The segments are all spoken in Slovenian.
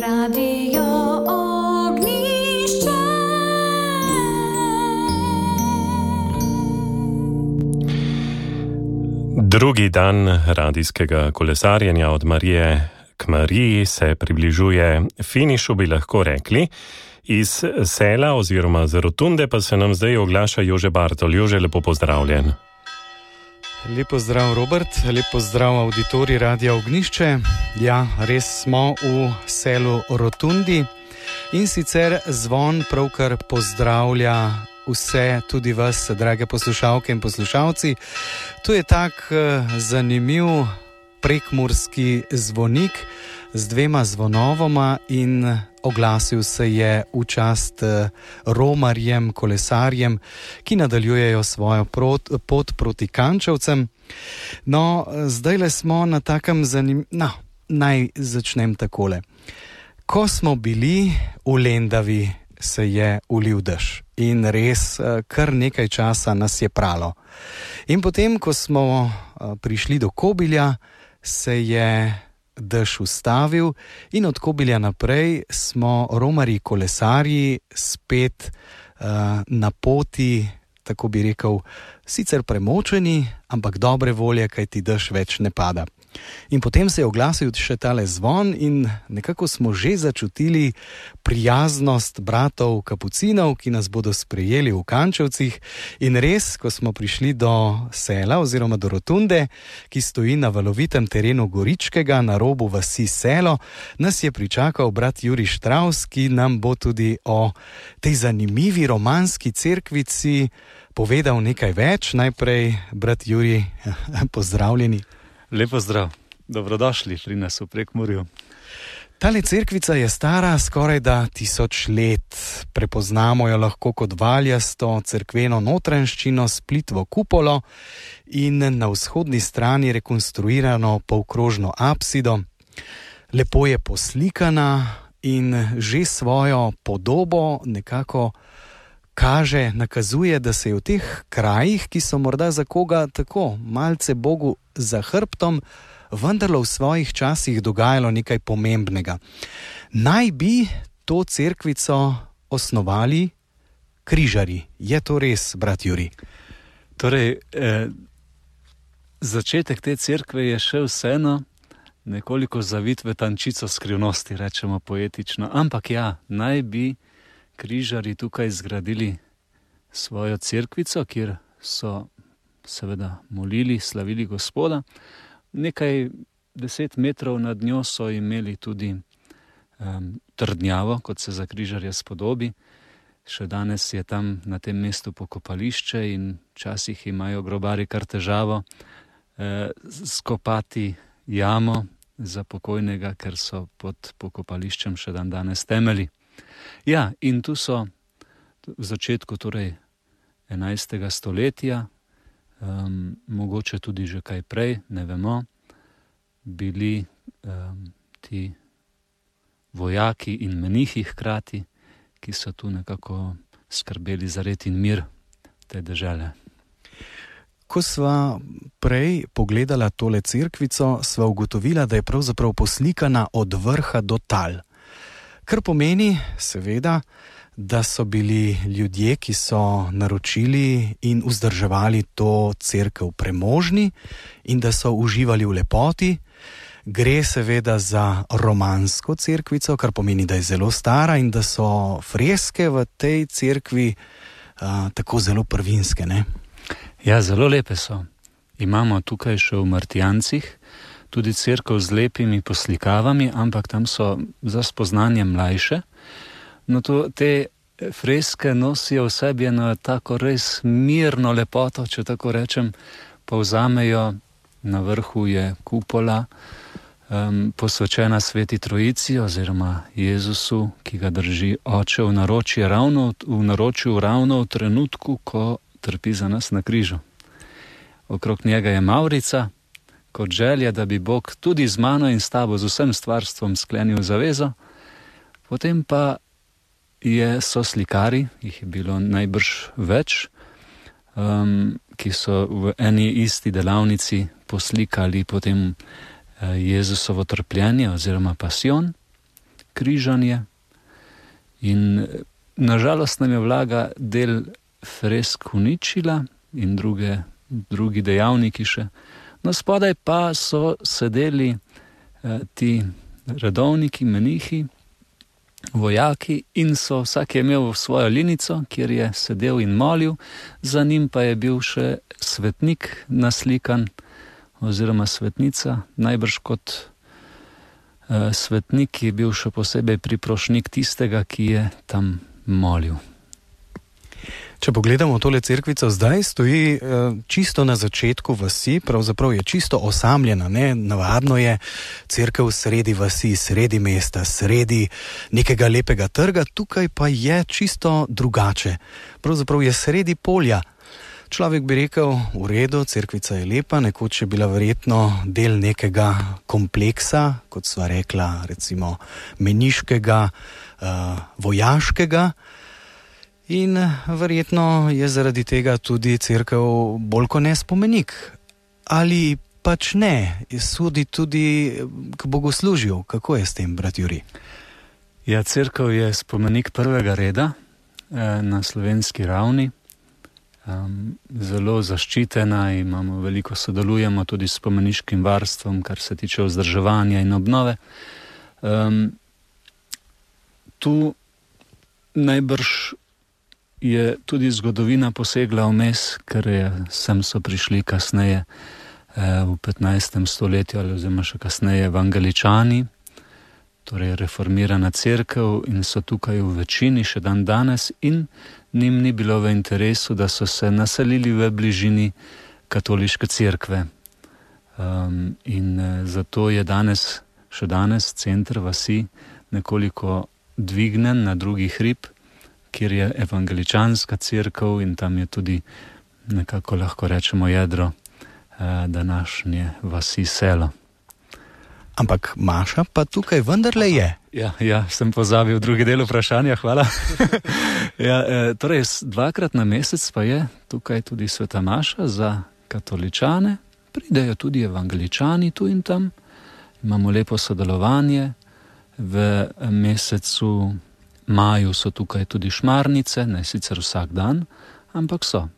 Radio Ognišče. Drugi dan radijskega kolesarjenja od Marije k Mariji se približuje finišu, bi lahko rekli. Iz Sela oziroma z Rotunde pa se nam zdaj oglaša Jože Bartol. Jože, lepo pozdravljen. Lep pozdrav, Robert, lep pozdrav auditorij Radia Ognišče. Ja, res smo v selu Rotundi in sicer zvon pravkar pozdravlja vse, tudi vas, drage poslušalke in poslušalci. To je tak zanimiv prekmurski zvonik z dvema zvonovoma in oglasil se je v čast romarjem, kolesarjem, ki nadaljujejo svojo pot proti Kančevcem. No, zdajle smo na takem naj začnem takole. Ko smo bili v Lendavi, se je ulil dež in res kar nekaj časa nas je pralo. In potem, ko smo prišli do Kobilja, se je dež ustavil in od Kobilja naprej smo romarji kolesarji spet na poti, tako bi rekel, sicer premočeni, ampak dobre volje, kajti dež več ne pada. In potem se je oglasil še tale zvon in nekako smo že začutili prijaznost bratov kapucinov, ki nas bodo sprejeli v Kančevcih. In res, ko smo prišli do Sela oziroma do Rotunde, ki stoji na valovitem terenu Goričkega na robu vasi Selo, nas je pričakal brat Jurij Štravs, ki nam bo tudi o tej zanimivi romanski cerkvici povedal nekaj več. Najprej, brat Jurij, pozdravljeni. Lepo zdrav, dobrodošli pri nas v Prekmurju. Tale cerkvica je stara skoraj da 1000 let. Prepoznamo jo lahko kot valjasto cerkveno notranjščino s plitvo kupolo in na vzhodni strani rekonstruirano polkrožno apsido. Lepo je poslikana in že svojo podobo nekako nakazuje, da se je v teh krajih, ki so morda za koga tako malce Bogu za hrbtom, vendarlo v svojih časih dogajalo nekaj pomembnega. Naj bi to cerkvico osnovali križarji. Je to res, brat Jurij? Torej, začetek te cerkve je še vseeno nekoliko zavit v tančico skrivnosti, rečemo poetično. Ampak ja, naj bi križarji tukaj zgradili svojo cerkvico, kjer so seveda molili, slavili Gospoda. Nekaj 10 metrov nad njo so imeli tudi trdnjavo, kot se za križarja spodobi. Še danes je tam na tem mestu pokopališče in včasih imajo grobari kar težavo skopati jamo za pokojnega, ker so pod pokopališčem še dan danes temelji. Ja, in tu so v začetku torej 11. stoletja, mogoče tudi že kaj prej, ne vemo, bili ti vojaki in menihi hkrati, ki so tu nekako skrbeli za red in mir te dežele. Ko sva prej pogledala tole cerkvico, sva ugotovila, da je pravzaprav poslikana od vrha do tal. Kar pomeni, seveda, da so bili ljudje, ki so naročili in vzdrževali to cerkev, premožni in da so uživali v lepoti. Gre seveda za romansko cerkvico, kar pomeni, da je zelo stara in da so freske v tej cerkvi tako zelo prvinske, ne? Ja, zelo lepe so. Imamo tukaj še v Martijancih tudi cerkev z lepimi poslikavami, ampak tam so za spoznanje mlajše. No, te freske nosijo v sebi eno tako res mirno lepoto, če tako rečem, povzamejo. Na vrhu je kupola, posvečena Sveti Trojici oziroma Jezusu, ki ga drži Oče v naročju ravno v trenutku, ko trpi za nas na križu. Okrog njega je mavrica, kot želja, da bi Bog tudi z mano in s tabo, z vsem stvarstvom sklenil zavezo. Potem pa so slikari, jih je bilo najbrž več, ki so v eni isti delavnici poslikali potem Jezusovo trpljenje oziroma pasijon, križanje in nažalost nam je vlaga del fresk uničila in drugi dejavniki še. No, spodaj pa so sedeli ti redovniki, menihi, vojaki in vsak je imel svojo linico, kjer je sedel in molil, za njim pa je bil še svetnik naslikan oziroma svetnica, najbrž kot svetnik je bil še posebej priprošnik tistega, ki je tam molil. Če pogledamo tole cerkvico, zdaj stoji čisto na začetku vasi, pravzaprav je čisto osamljena, ne? Navadno je cerkev sredi vasi, sredi mesta, sredi nekega lepega trga, tukaj pa je čisto drugače. Pravzaprav je sredi polja. Človek bi rekel, v redu, cerkvica je lepa, nekoč je bila verjetno del nekega kompleksa, kot sva rekla, recimo meniškega, vojaškega. In verjetno je zaradi tega tudi cerkev bolj kot ne spomenik. Ali pač ne, sodi tudi k bogoslužju. Kako je s tem, brat Jurij? Ja, cerkev je spomenik prvega reda na slovenski ravni. Zelo zaščitena, veliko sodelujemo tudi s spomeniškim varstvom, kar se tiče vzdrževanja in obnove. Tu najbrž je tudi zgodovina posegla vmes, ker sem so prišli kasneje v 15. stoletju ali oziroma še kasneje evangeličani, torej reformirana cerkev, in so tukaj v večini še dan danes in njim ni bilo v interesu, da so se naselili v bližini katoliške cerkve. In zato je še danes center vasi nekoliko dvignen na drugi hrib, kjer je evangeličanska cerkev in tam je tudi nekako lahko rečemo jedro današnje vasi selo. Ampak maša pa tukaj vendarle je. Ja, sem pozabil drugi del vprašanja, hvala. Torej, 2-krat na mesec pa je tukaj tudi sveta maša za katoličane, pridejo tudi evangeličani tu in tam, imamo lepo sodelovanje, v mesecu maju so tukaj tudi šmarnice, ne sicer vsak dan, ampak so.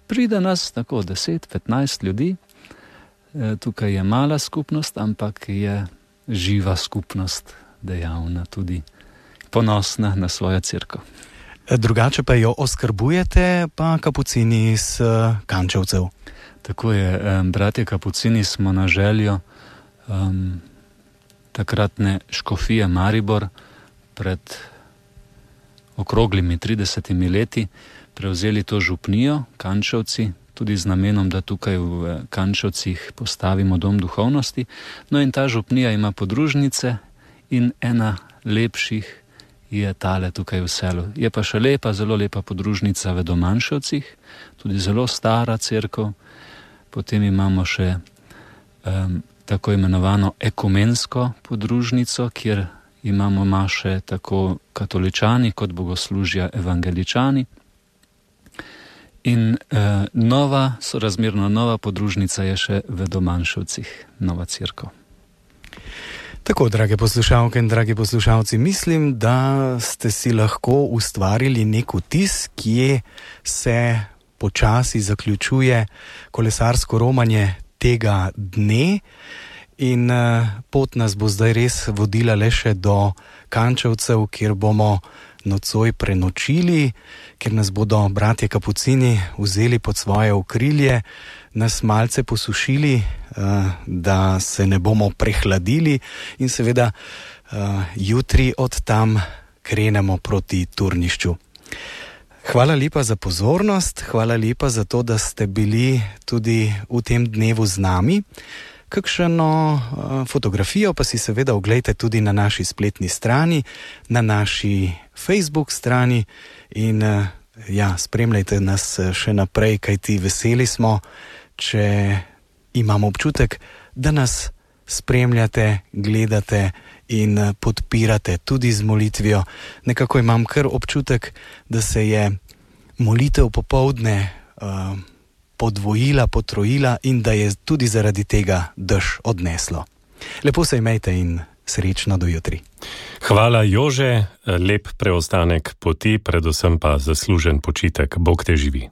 Pride nas tako 10-15 ljudi, tukaj je mala skupnost, ampak je živa skupnost, dejavna tudi, ponosna na svojo cerkev. Drugače pa jo oskrbujete, pa kapucini iz Kančevcev. Tako je, bratje kapucini smo na željo takratne škofije Maribor pred okroglimi 30 leti prevzeli to župnijo Kančevci, tudi z namenom, da tukaj v Kančevcih postavimo dom duhovnosti. No in ta župnija ima podružnice in ena lepših je tale tukaj v selu. Je pa še lepa, zelo lepa podružnica v Domanševcih, tudi zelo stara cerkev. Potem imamo še tako imenovano ekumensko podružnico, kjer imamo maše tako katoličani kot bogoslužja evangeličani. In sorazmerno nova podružnica je še v Domanševcih, nova cerkev. Tako, drage poslušalke in dragi poslušalci, mislim, da ste si lahko ustvarili nek vtis, kje se počasi zaključuje kolesarsko romanje tega dne. In pot nas bo zdaj res vodila le še do Kančevcev, kjer bomo nocoj prenočili, kjer nas bodo bratje kapucini vzeli pod svoje okrilje, nas malce posušili, da se ne bomo prehladili in seveda jutri od tam krenemo proti turnišču. Hvala lepa za pozornost, hvala lepa za to, da ste bili tudi v tem dnevu z nami. Kakšno fotografijo pa si seveda oglejte tudi na naši spletni strani, na naši Facebook strani in spremljajte nas še naprej, kajti veseli smo, če imamo občutek, da nas spremljate, gledate in podpirate tudi z molitvijo. Nekako imam kar občutek, da se je molitev popoldne podvojila, potrojila in da je tudi zaradi tega dež odneslo. Lepo se imejte in Srečno do jutri. Hvala, Jože, lep preostanek poti, predvsem pa zaslužen počitek. Bog te živi.